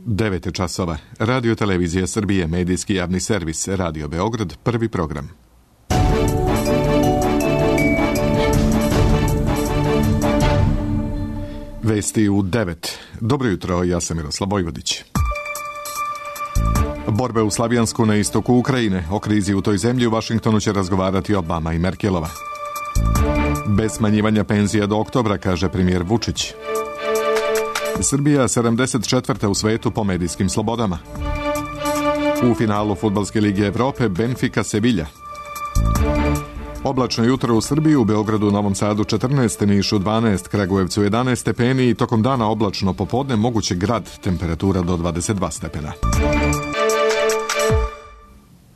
9 časova. Radio Televizija Srbije, medijski javni servis, Radio Beograd, prvi program. Vesti u 9. Dobro jutro, ja sam Miroslav Vojvodić. Borbe u Slavijansku na istoku Ukrajine. O krizi u toj zemlji u Vašingtonu će razgovarati Obama i Merkelova. Bez smanjivanja penzija do oktobra, kaže premijer Vučić. Srbija 74. u svetu po medijskim slobodama. U finalu Fudbalske lige Evrope Benfica Sevilla. Oblačno jutro u Srbiji, u Beogradu, Novom Sadu 14, Nišu 12, Kragujevcu 11 stepeni i tokom dana oblačno popodne moguće grad, temperatura do 22 stepena.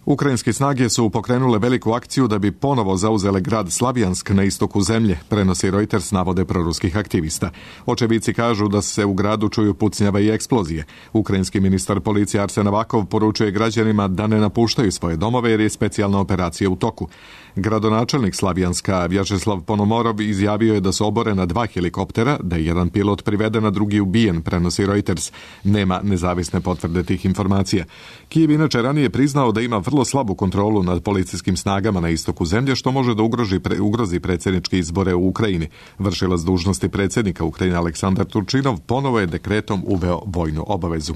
Ukrajinske snage su pokrenule veliku akciju da bi ponovo zauzele grad Slavijansk na istoku zemlje, prenosi Reuters navode proruskih aktivista. Očevici kažu da se u gradu čuju pucnjava i eksplozije. Ukrajinski ministar policije Arsen Avakov poručuje građanima da ne napuštaju svoje domove jer je specijalna operacija u toku. Gradonačelnik Slavijanska Vjačeslav Ponomorov izjavio je da su oborena 2 helikoptera, da je jedan pilot priveden, a drugi ubijen, prenosi Reuters. Nema nezavisne potvrde tih informacija. Kijev inače ranije priznao da ima vrlo slabu kontrolu nad policijskim snagama na istoku zemlje, što može da ugrozi predsjedničke izbore u Ukrajini. Vršilac dužnosti predsjednika Ukrajine Aleksandar Turčinov ponovo je dekretom uveo vojnu obavezu.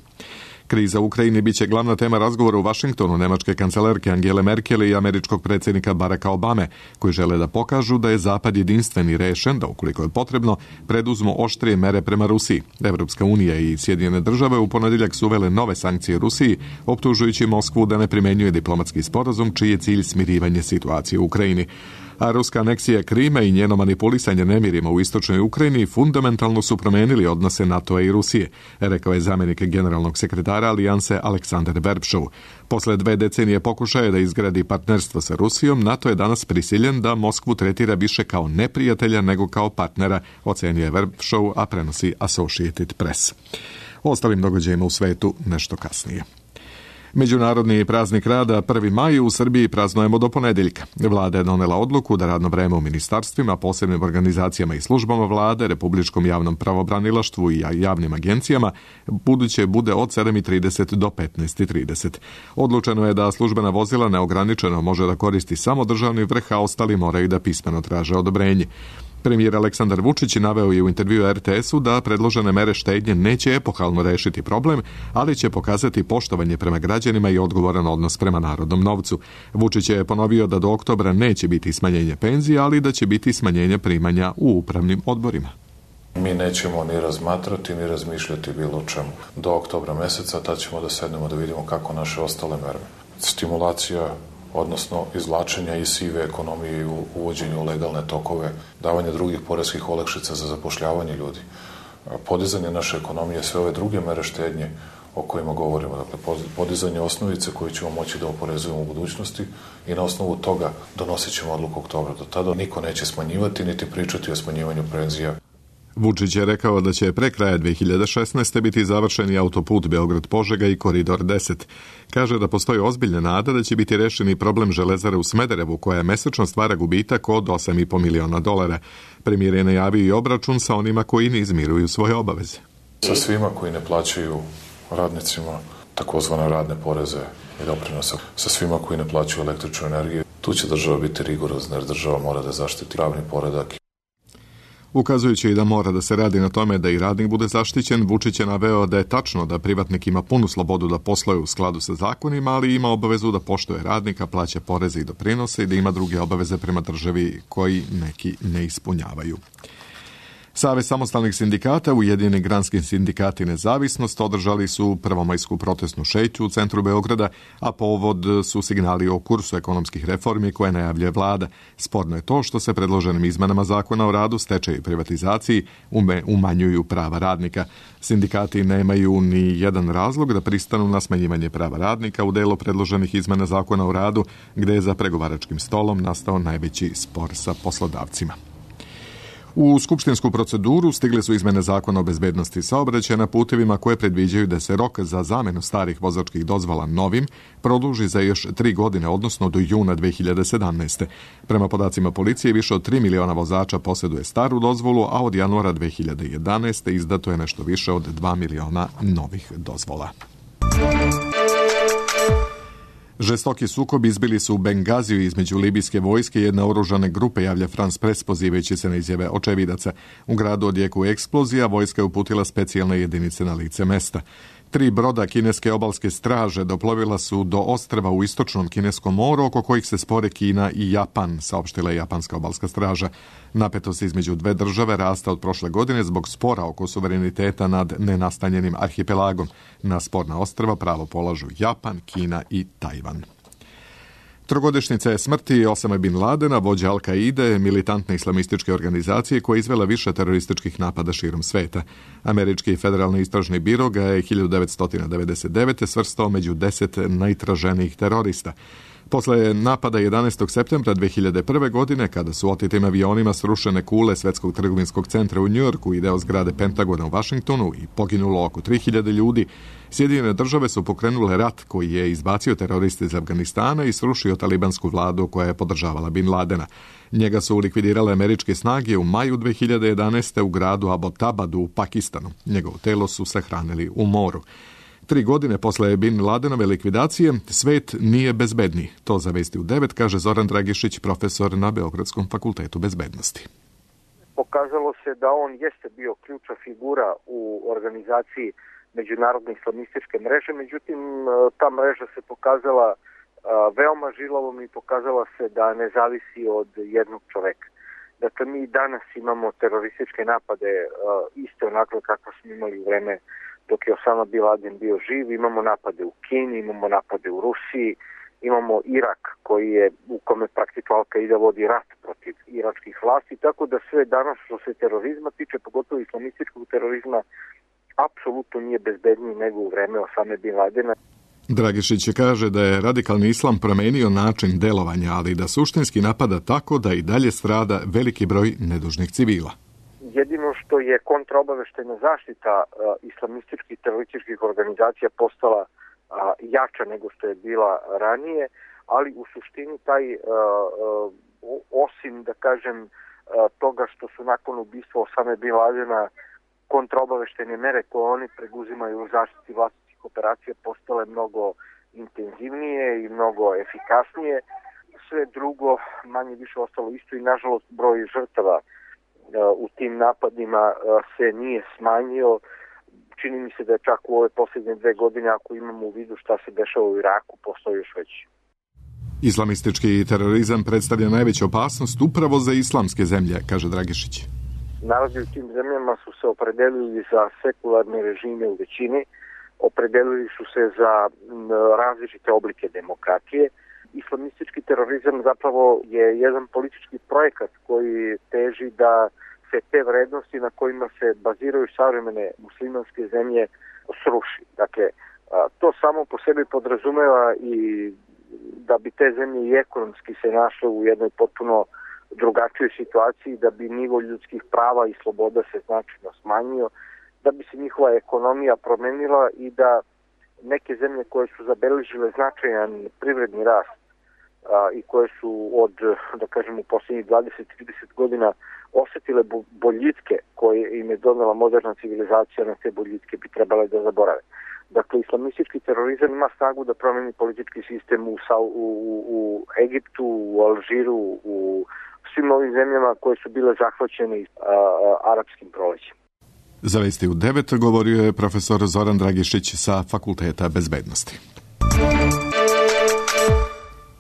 Kriza u Ukrajini biće glavna tema razgovora u Vašingtonu nemačke kancelarke Angele Merkel i američkog predsjednika Baracka Obame, koji žele da pokažu da je Zapad jedinstven i rešen da, ukoliko je potrebno, preduzmu oštrije mere prema Rusiji. Evropska unija i Sjedinjene države u ponedjeljak su uvele nove sankcije Rusiji, optužujući Moskvu da ne primenjuje diplomatski sporazum čiji je cilj smirivanje situacije u Ukrajini. A ruska aneksija Krima i njeno manipulisanje nemirima u istočnoj Ukrajini fundamentalno su promenili odnose NATO-a i Rusije, rekao je zamjenik generalnog sekretara Alijanse Aleksandar Verbšov. Posle 2 decenije pokušaja da izgradi partnerstvo sa Rusijom, NATO je danas prisiljen da Moskvu tretira više kao neprijatelja nego kao partnera, ocenio je Verbšov, a prenosi Associated Press. O ostalim događajima u svetu nešto kasnije. Međunarodni praznik rada 1. maj u Srbiji praznujemo do ponedjeljka. Vlada je donela odluku da radno vreme u ministarstvima, posebnim organizacijama i službama vlade, Republičkom javnom pravobranilaštvu i javnim agencijama buduće bude od 7:30 do 15:30. Odlučeno je da službena vozila neograničeno može da koristi samo državni vrh, a ostali moraju da pismeno traže odobrenje. Premijer Aleksandar Vučić naveo je u intervjuu RTS-u da predložene mere štednje neće epohalno rešiti problem, ali će pokazati poštovanje prema građanima i odgovoran odnos prema narodnom novcu. Vučić je ponovio da do oktobra neće biti smanjenje penzija, ali da će biti smanjenje primanja u upravnim odborima. Mi nećemo ni razmatrati, ni razmišljati bilo čemu. Do oktobra meseca tad ćemo da sednemo da vidimo kako naše ostale mere. Stimulacija, odnosno izvlačenja iz sive ekonomije i uvođenju u legalne tokove, davanje drugih poreskih olakšica za zapošljavanje ljudi, podizanje naše ekonomije, sve ove druge mere štednje o kojima govorimo, dakle podizanje osnovice koju ćemo moći da oporezujemo u budućnosti i na osnovu toga donosit ćemo odluku oktobra. Do tada niko neće smanjivati niti pričati o smanjivanju penzija. Vučić je rekao da će pre kraja 2016. biti završeni autoput Beograd-Požega i Koridor 10. Kaže da postoji ozbiljna nada da će biti rešeni problem železare u Smederevu, koja mesečno stvara gubitak od $8,5 miliona. Premijer je najavio i obračun sa onima koji ne izmiruju svoje obaveze. Sa svima koji ne plaćaju radnicima takozvane radne poreze i doprinose, sa svima koji ne plaćaju električnu energiju, tu će država biti rigorozna jer država mora da zaštiti pravni poredak. Ukazujući i da mora da se radi na tome da i radnik bude zaštićen, Vučić je naveo da je tačno da privatnik ima punu slobodu da posluje u skladu sa zakonima, ali ima obavezu da poštuje radnika, plaća poreze i doprinose i da ima druge obaveze prema državi koji neki ne ispunjavaju. Savez samostalnih sindikata, Ujedinjeni granski sindikati Nezavisnost održali su prvomajsku protestnu šetnju u centru Beograda, a povod su signali o kursu ekonomskih reformi koje najavljuje vlada. Sporno je to što se predloženim izmenama zakona o radu, stečaju i privatizaciji umanjuju prava radnika. Sindikati nemaju ni jedan razlog da pristanu na smanjivanje prava radnika u delu predloženih izmena zakona o radu, gde je za pregovaračkim stolom nastao najveći spor sa poslodavcima. U skupštinsku proceduru stigle su izmene zakona o bezbednosti saobraćaja na putevima koje predviđaju da se rok za zamenu starih vozačkih dozvola novim produži za još 3 godine, odnosno do juna 2017. Prema podacima policije, više od 3 miliona vozača posjeduje staru dozvolu, a od januara 2011. izdato je nešto više od 2 miliona novih dozvola. Žestoki sukob izbili su u Bengaziju između libijske vojske i jedne oružane grupe, javlja France Press pozivajući se na izjave očevidaca. U gradu odjeku eksplozija, vojska je uputila specijalne jedinice na lice mesta. 3 broda kineske obalske straže doplovila su do ostrva u istočnom kineskom moru, oko kojih se spore Kina i Japan, saopštila je japanska obalska straža. Napetost između dve države rasta od prošle godine zbog spora oko suvereniteta nad nenastanjenim arhipelagom. Na sporna ostrva pravo polažu Japan, Kina i Tajvan. Trogodišnjica je smrti Osame Bin Ladena, vođa Al-Kaide, militantne islamističke organizacije koja je izvela više terorističkih napada širom sveta. Američki federalni istražni biro ga je 1999. svrstao među 10 najtraženijih terorista. Posle napada 11. septembra 2001. godine, kada su otetim avionima srušene kule Svetskog trgovinskog centra u Njujorku i deo zgrade Pentagona u Vašingtonu i poginulo oko 3000 ljudi, Sjedinjene države su pokrenule rat koji je izbacio teroriste iz Afganistana i srušio talibansku vladu koja je podržavala Bin Ladena. Njega su likvidirale američke snage u maju 2011. u gradu Abbottabadu u Pakistanu. Njegovo telo su sahranili u moru. 3 godine posle Bin Ladenove likvidacije, svet nije bezbedniji. To za Vesti u 9 kaže Zoran Dragišić, profesor na Beogradskom fakultetu bezbednosti. Pokazalo se da on jeste bio ključna figura u organizaciji međunarodne islamističke mreže, međutim ta mreža se pokazala veoma žilavom i pokazala se da ne zavisi od jednog čoveka. Dakle, mi danas imamo terorističke napade iste onako kako smo imali u vreme dok je Osama Bin Laden bio živ. Imamo napade u Kini, imamo napade u Rusiji, imamo Irak koji je u kome praktično Al-Kaida vodi rat protiv iračkih vlasti, tako da sve danas što se terorizma tiče, pogotovo islamističkog terorizma, apsolutno nije bezbedniji nego u vreme Osame Bin Ladena. Dragišić kaže da je radikalni islam promenio način delovanja, ali da suštinski napada tako da i dalje strada veliki broj nedužnih civila. Jedino što je kontraobaveštajna zaštita islamističkih terorističkih organizacija postala jača nego što je bila ranije, ali u suštini taj, osim da kažem toga što su nakon ubistva Osame Bin Ladena kontraobaveštajne mere koje oni preduzimaju u zaštiti vlastitih operacija postale mnogo intenzivnije i mnogo efikasnije, sve drugo manje više ostalo isto i nažalost broj žrtava u tim napadima se nije smanjio. Čini mi se da je čak u ove posljednje 2 godine, ako imamo u vidu šta se dešava u Iraku, postoji još veći. Islamistički terorizam predstavlja najveću opasnost upravo za islamske zemlje, kaže Dragišić. Narodi u tim zemljama su se opredelili za sekularne režime u većini, opredelili su se za različite oblike demokratije. Islamistički terorizam zapravo je jedan politički projekat koji teži da se te vrednosti na kojima se baziraju savremene muslimanske zemlje sruši. Dakle, to samo po sebi podrazumeva i da bi te zemlje i ekonomski se našle u jednoj potpuno drugačijoj situaciji, da bi nivo ljudskih prava i sloboda se značajno smanjio, da bi se njihova ekonomija promenila i da neke zemlje koje su zabeležile značajan privredni rast i koje su od, da kažem, u posljednjih 20-30 godina osetile boljitke koje im je donela moderna civilizacija, na te boljitke bi trebale da zaborave. Dakle, islamistički terorizam ima snagu da promeni politički sistem u Egiptu, u Alžiru, u svim ovim zemljama koje su bile zahvaćene arapskim prolećem. Za Vesti u 9 govorio je profesor Zoran Dragišić sa Fakulteta bezbednosti.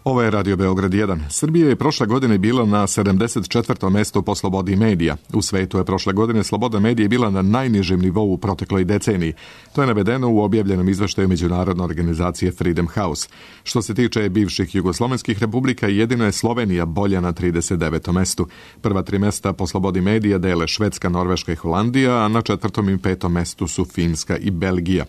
Ovo je Radio Beograd 1. Srbija je prošle godine bila na 74. mestu po slobodi medija. U svetu je prošle godine sloboda medija bila na najnižem nivou u protekloj deceniji. To je navedeno u objavljenom izveštaju međunarodne organizacije Freedom House. Što se tiče bivših jugoslovenskih republika, jedino je Slovenija bolja na 39. mestu. Prva 3 mesta po slobodi medija dele Švedska, Norveška i Holandija, a na 4. i 5. mestu su Finska i Belgija.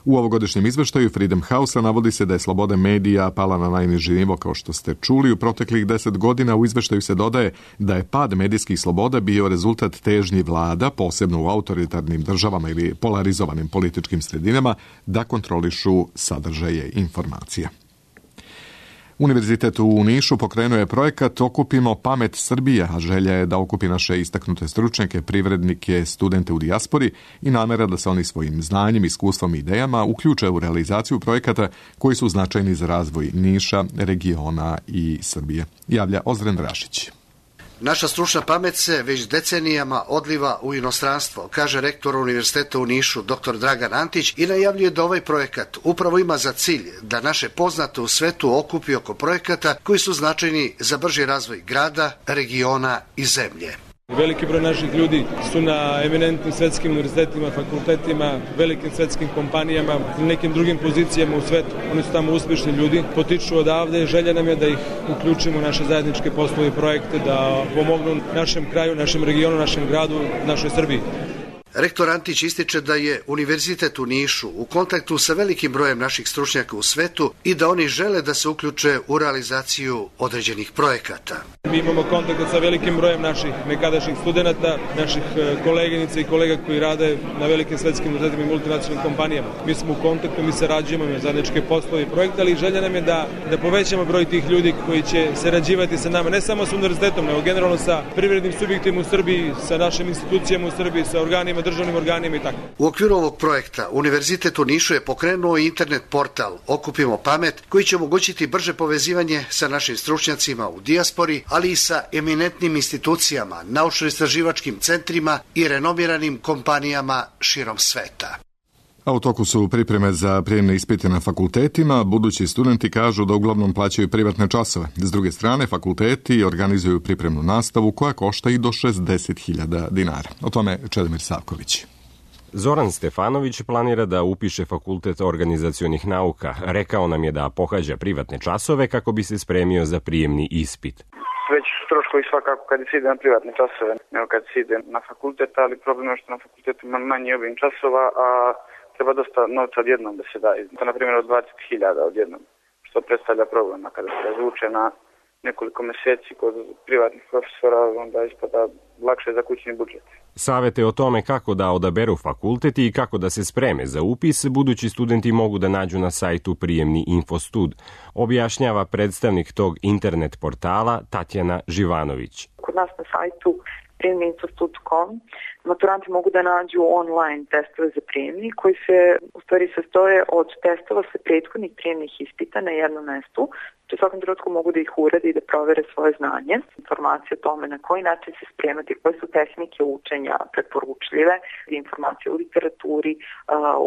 U ovogodišnjem izveštaju Freedom House-a navodi se da je sloboda medija pala na najniži nivo, kao što ste čuli. U proteklih 10 godina u izveštaju se dodaje da je pad medijskih sloboda bio rezultat težnji vlada, posebno u autoritarnim državama ili polarizovanim političkim sredinama, da kontrolišu sadržaje informacija. Univerzitet u Nišu pokrenuo je projekat Okupimo pamet Srbije, a želja je da okupi naše istaknute stručnjake, privrednike, studente u dijaspori i namera da se oni svojim znanjem, iskustvom i idejama uključe u realizaciju projekata koji su značajni za razvoj Niša, regiona i Srbije. Javlja Ozren Rašić. Naša stručna pamet se već decenijama odliva u inostranstvo, kaže rektor Univerziteta u Nišu, dr. Dragan Antić, i najavljuje da ovaj projekat upravo ima za cilj da naše poznate u svetu okupi oko projekata koji su značajni za brži razvoj grada, regiona i zemlje. Veliki broj naših ljudi su na eminentnim svetskim univerzitetima, fakultetima, velikim svetskim kompanijama i nekim drugim pozicijama u svetu. Oni su tamo uspješni ljudi, potiču odavde, želja nam je da ih uključimo u naše zajedničke poslove i projekte, da pomognu našem kraju, našem regionu, našem gradu, našoj Srbiji. Rektor Antić ističe da je Univerzitet u Nišu u kontaktu sa velikim brojem naših stručnjaka u svetu i da oni žele da se uključe u realizaciju određenih projekata. Mi imamo kontakt sa velikim brojem naših nekadašnjih studenata, naših koleginica i kolega koji rade na velikim svetskim univerzitetima i multinacionalnim kompanijama. Mi smo u kontaktu, mi sarađujemo na zajedničke poslove i projekte, ali želja nam je da povećamo broj tih ljudi koji će sarađivati sa nama, ne samo sa univerzitetom, nego generalno sa privrednim subjektima u Srbiji, sa našim institucijama u Srbiji, sa organima, državnim organima i tako. U okviru ovog projekta Univerzitet u Nišu je pokrenuo internet portal Okupimo pamet, koji će omogućiti brže povezivanje sa našim stručnjacima u dijaspori, ali i sa eminentnim institucijama, naučno-istraživačkim centrima i renomiranim kompanijama širom sveta. A u toku su pripreme za prijemne ispite na fakultetima. Budući studenti kažu da uglavnom plaćaju privatne časove. S druge strane, fakulteti organizuju pripremnu nastavu koja košta i do 60.000 dinara. O tome Čedomir Savković. Zoran Stefanović planira da upiše Fakultet organizacionih nauka. Rekao nam je da pohađa privatne časove kako bi se spremio za prijemni ispit. Veći su troškovi svakako kad se ide na privatne časove nego kad se ide na fakultet, ali problem je što na fakultetu ima manji obim časova, a treba dosta novca odjednom da se da. To na primjer od 20.000 odjednom, što predstavlja problem. A kada se razvuče na nekoliko meseci kod privatnih profesora, onda ispada lakše za kućni budžet. Savete o tome kako da odaberu fakultet i kako da se spreme za upis, budući studenti mogu da nađu na sajtu Prijemni Infostud, objašnjava predstavnik tog internet portala Tatjana Živanović. Kod nas na sajtu prijemniinfostud.com maturanti mogu da nađu online testove za prijemni koji se u stvari sastoje od testova sa prethodnih prijemnih ispita na jednom mestu. U svakom trenutku mogu da ih urade i da provere svoje znanje, informacije o tome na koji način se spremati, koje su tehnike učenja preporučljive, informacije o literaturi,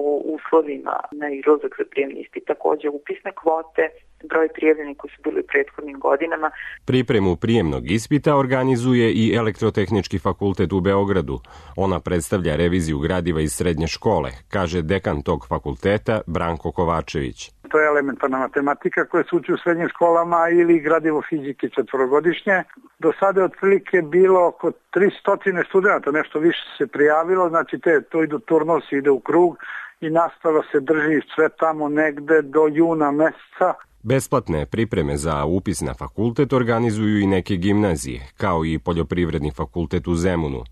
o uslovima na izlazak za prijemni ispit, takođe upisne kvote, broj prijavljenih koji su bili u prethodnim godinama. Pripremu prijemnog ispita organizuje i Elektrotehnički fakultet u Beogradu. Ona predstavlja reviziju gradiva iz srednje škole, kaže dekan tog fakulteta Branko Kovačević. To je elementarna matematika koja se uči u srednjim školama ili gradivo fizike četvorogodišnje. Do sada je otprilike bilo oko 300 studenta, nešto više se prijavilo, znači to idu turnosi, ide u krug i nastava se drži sve tamo negde do juna meseca. Besplatne pripreme za upis na fakultet organizuju i neke gimnazije, kao i Poljoprivredni fakultet u Zemunu.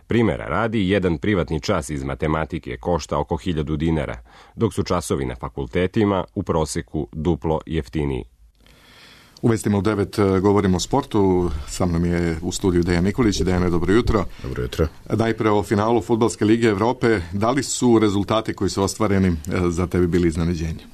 Primera radi, jedan privatni čas iz matematike košta oko 1000 dinara, dok su časovi na fakultetima u proseku duplo jeftiniji. U vestima u 9 govorimo o sportu. Sa mnom je u studiju Dejan Nikolić. Dejane, dobro jutro. Dobro jutro. Najpre o finalu Fudbalske lige Evrope. Da li su rezultati koji su ostvareni za tebe bili iznenađenje?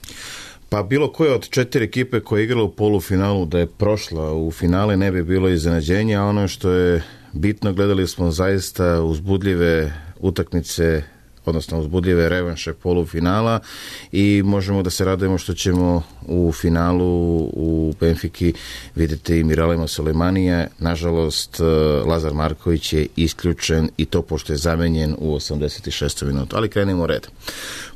Pa bilo koje od 4 ekipe koje je igrala u polufinalu da je prošla u finale ne bi bilo iznenađenje, a ono što je bitno, gledali smo zaista uzbudljive utakmice, odnosno uzbudljive revanše polufinala i možemo da se radujemo što ćemo u finalu u Benfiki vidjeti i Miralema Sulejmanija. Nažalost, Lazar Marković je isključen i to pošto je zamenjen u 86. minutu. Ali krenimo red.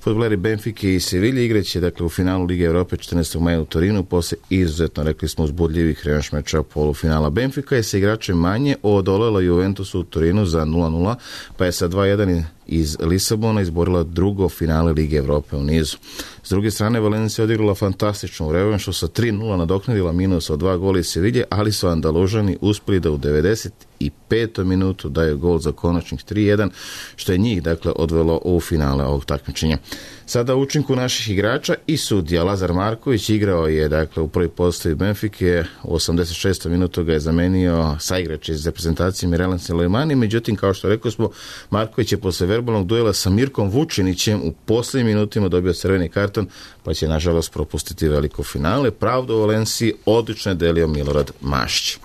Fudbaleri Benfike i Sevilje igraće dakle u finalu Lige Evrope 14. maja u Torinu posle izuzetno, rekli smo, uzbudljivih revanš meča polufinala. Benfika je sa igračem manje odolela Juventusu u Torinu za 0-0, pa je sa 2-1 iz Lisabona izborila drugo finale Lige Evrope u nizu. S druge strane, Valencija odigrala fantastičnu revanšu sa 3-0 nadoknadila minus od 2 gola iz Sevilje, ali su Andalužani uspeli da u 95. minutu daju gol za konačnih 3-1, što je njih dakle odvelo u finale ovog takmičenja. Sada u učinku naših igrača i sudija Lazar Marković igrao je dakle u prvoj postavi Benfike, u 86. minutu ga je zamenio saigrač iz reprezentacije Miralem Sulejmani, međutim kao što rekao smo, Marković je posle verbalnog duela sa Mirkom Vučinićem u posljednjim minutima dobio crveni karton, pa će nažalost propustiti veliko finale. Pravdu u Valenciji odlično je delio Milorad Mašić.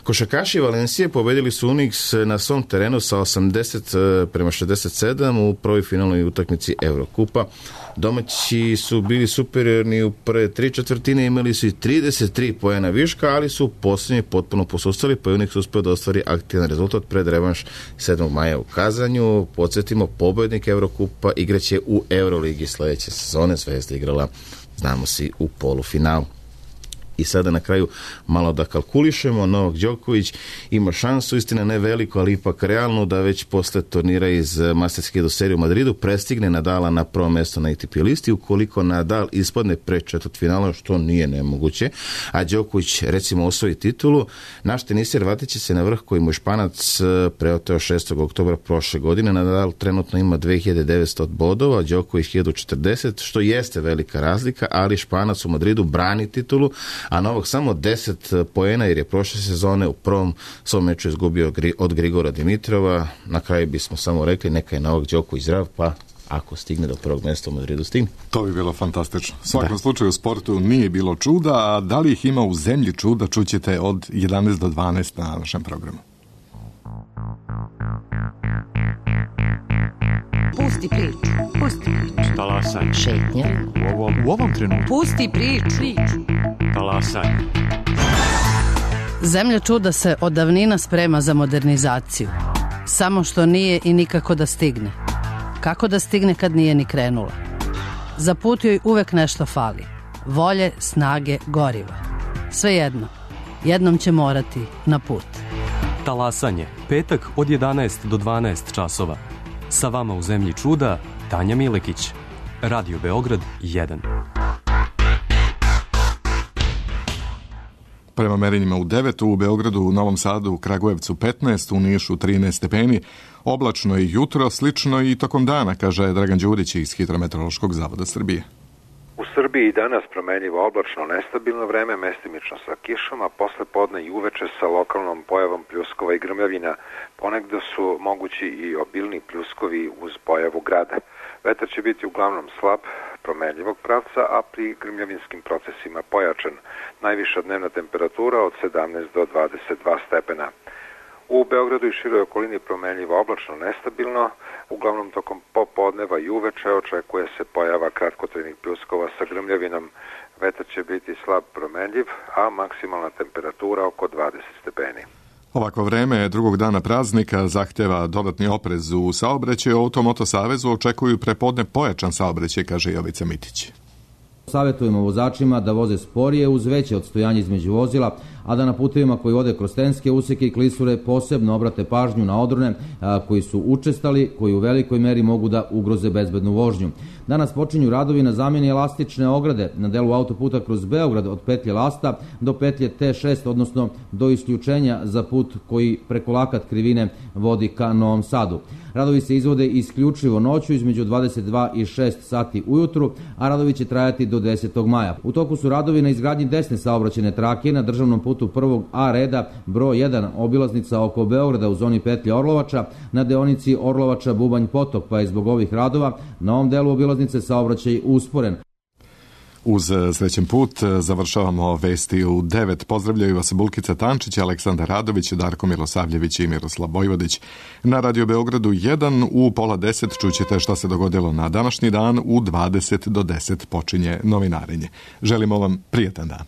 Košarkaši Valencije pobedili su Unix na svom terenu sa 80-67 u prvoj finalnoj utakmici Evrokupa. Domaći su bili superiorni u prve 3/4, imali su i 33 poena viška, ali su u posljednji potpuno posustali, pa je Unix uspio da ostvari aktivan rezultat pred revanš 7. maja u Kazanju. Podsjetimo, pobednik Evrokupa igraće u Euroligi sledeće sezone. Zvezda igrala, znamo si, u polufinalu. I sada na kraju malo da kalkulišemo. Novak Đoković ima šansu, istina ne veliko, ali ipak realno, da već posle turnira iz Masterske do serije u Madridu prestigne Nadala na prvo mesto na ATP listi. Ukoliko Nadal ispadne pre četvrtfinala, što nije nemoguće, a Đoković recimo osvoji titulu, naš teniser vratit će se na vrh koji mu je Španac preoteo 6. oktobra prošle godine. Nadal trenutno ima 2900 bodova, Đoković 1040, što jeste velika razlika, ali Španac u Madridu brani titulu, a Novak samo 10 poena jer je prošle sezone u prvom svom meču izgubio od Grigora Dimitrova. Na kraju bismo samo rekli neka je Novak Đoković zdrav, pa ako stigne do prvog mjesta u Madridu stigne. To bi bilo fantastično. U svakom slučaju u sportu nije bilo čuda, a da li ih ima u zemlji čuda čućete od 11 do 12 na našem programu. Pusti priču. Pusti priču. Talasaj. Šetnja. U ovom trenutku. Pusti priču. Talasaj. Zemlja čuda se od davnina sprema za modernizaciju. Samo što nije i nikako da stigne. Kako da stigne kad nije ni krenula? Za put joj uvek nešto fali. Volje, snage, goriva. Svejedno. Jednom će morati na put. Talasanje. Petak od 11 do 12 časova. Sa vama u zemlji čuda, Tanja Milekić. Radio Beograd 1. Prema merenjima u 9, u Beogradu, u Novom Sadu, u Kragujevcu 15, u Nišu 13 stepeni. Oblačno je jutro, slično i tokom dana, kaže Dragan Đurić iz Hidrometeorološkog zavoda Srbije. U Srbiji danas promenljivo oblačno nestabilno vreme, mestimično sa kišom, a posle podne i uveče sa lokalnom pojavom pljuskova i grmljavina. Ponegde su mogući i obilni pljuskovi uz pojavu grada. Vetar će biti uglavnom slab, promenljivog pravca, a pri grmljavinskim procesima pojačan. Najviša dnevna temperatura od 17 do 22 stepena. U Beogradu i široj okolini promenljivo oblačno nestabilno, uglavnom tokom popodneva i uveče očekuje se pojava kratkotrajnih pljuskova sa grmljavinom. Vetar će biti slab promenljiv, a maksimalna temperatura oko 20 stepeni. Ovako vreme drugog dana praznika zahteva dodatni oprez u saobraćaju. Automoto Savezu očekuju prepodne pojačan saobraćaj, kaže Jovica Mitić. Savjetujemo vozačima da voze sporije uz veće odstojanje između vozila, a da na putevima koji vode kroz tenske useke i klisure posebno obrate pažnju na odrone koji su učestali, koji u velikoj meri mogu da ugroze bezbednu vožnju. Danas počinju radovi na zamjeni elastične ograde na delu autoputa kroz Beograd od petlje Lasta do petlje T6, odnosno do isključenja za put koji preko Lakat krivine vodi ka Novom Sadu. Radovi se izvode isključivo noću između 22 i 6 sati ujutru, a radovi će trajati do 10. maja. U toku su radovi na izgradnji desne saobraćajne trake na državnom putu prvog A reda broj 1 obilaznica oko Beograda u zoni petlje Orlovača na deonici Orlovača-Bubanj Potok, pa je zbog ovih radova na ovom delu obilaznice saobraćaj usporen. Uz srećen put završavamo vesti u 9. Pozdravljaju vas Bulkica Tančić, Aleksandar Radović, Darko Milosavljević i Miroslav Bojvodić. Na Radio Beogradu 1 u pola 10 čućete šta se dogodilo na današnji dan. U 20 do 10 počinje novinarenje. Želimo vam prijatan dan.